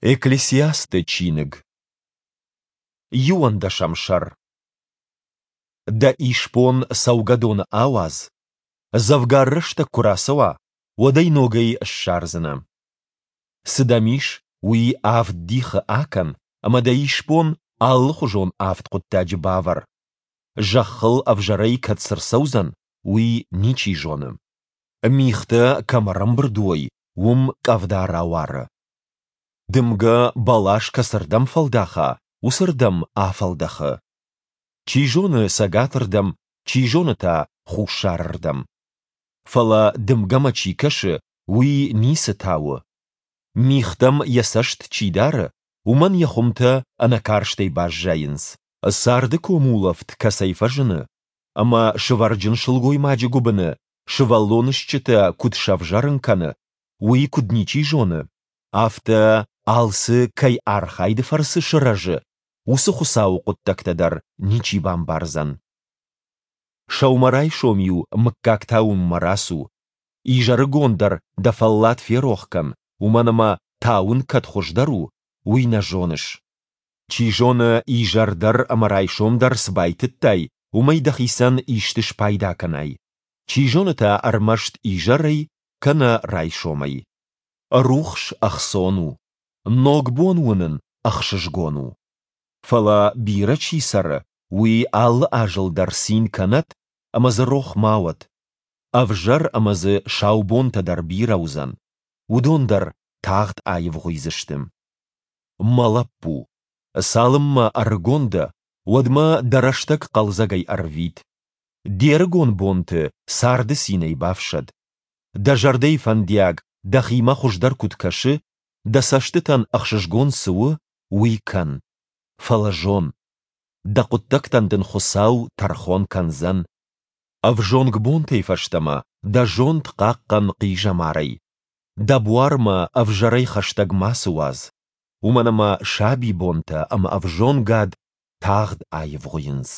Экклесиасты чиныг. Иуӕндӕсӕм сӕр. Дӕ исбон цӕугӕдоны ауадз, дзӕвгар рӕстӕг куы рацӕуа, уӕд ӕй ногӕй ссардзынӕ. Цы дӕм ис, уый авд дихы акӕн ӕмӕ дӕ исбон алыхуызон авд хъуыддаджы бавӕр. Зӕххыл ӕвзӕрӕй кӕд цы рцӕудзӕн, уый ничи зоны. Мигътӕ кӕм ӕрӕмбырд уой, уым къӕвда рауары. Дымгӕ бӕлас кӕцырдӕм фӕлдӕха, уыцырдӕм афӕлдӕхы. Чи зоны цӕгатырдӕм, чи зоны та хуссарырдӕм. Фӕлӕ дымгӕмӕ чи кӕсы, уый ницы тауы. Мигътӕм йӕ цӕст чи дары, уымӕн йӕ хуымтӕ ӕнӕкарстӕй баззайынц. Царды комулӕфт кӕцӕй фӕзыны, ӕмӕ сывӕрджын сылгоймаджы гуыбыны сывӕллоны стджытӕ куыд сӕвзӕрын кӕны, уый куыд ничи зоны, афтӕ алцы кӕй архайды фӕрцы сырӕзы, уыцы Хуыцауы хъуыддӕгтӕ дӕр ничи бамбардзӕн. Сӕумӕрайсом-иу мыггаг тауынмӕ рацу, изӕрыгон дӕр дӕ фӕллад ферох кӕн, уымӕн ӕмӕ тауын кӕд хуыздӕр у, уый нӕ зоныс. Чи зоны, изӕр дӕр ӕмӕ райсом дӕр цы байтыдтай, уымӕй дӕхицӕн исты спайда кӕнай. Чи зоны та ӕрмӕст изӕрӕй кӕнӕ райсомӕй. Рухс ӕхцон у, ног бон уынын ӕхсызгон у. Фӕлӕ бирӕ чи цӕры, уый алы азыл дӕр цин кӕнӕд ӕмӕ дзы рох ма уӕд. Ӕвзӕр ӕмӕ дзы сау бонтӕ дӕр бирӕ уыдзӕн, уыдон дӕр тагъд аивгъуыйдзысты. Мӕ лӕппу, цалынмӕ ӕрыгон дӕ, уӕдмӕ дӕ рӕстӕг хъӕлдзӕгӕй ӕрвит. Де рыгон бонты царды цинӕй бафсӕд. Дӕ зӕрдӕйы фӕндиаг дӕхимӕ хуыздӕр куыд кӕсы, дӕ цӕстытӕн ӕхсызгон цы у, уый кӕн. Фӕлӕ зон, дӕ хъуыддӕгтӕн дын Хуыцау тӕрхон кӕндзӕн. Ӕвзонг бонтӕй фӕстӕмӕ дӕ зонд хъахъхъӕн хъизӕмарӕй. Дӕ буармӕ ӕвзӕрӕй хӕстӕг мацы уадз, уымӕн ӕмӕ сабибонтӕ ӕмӕ ӕвзонгад тагъд аивгъуыйынц.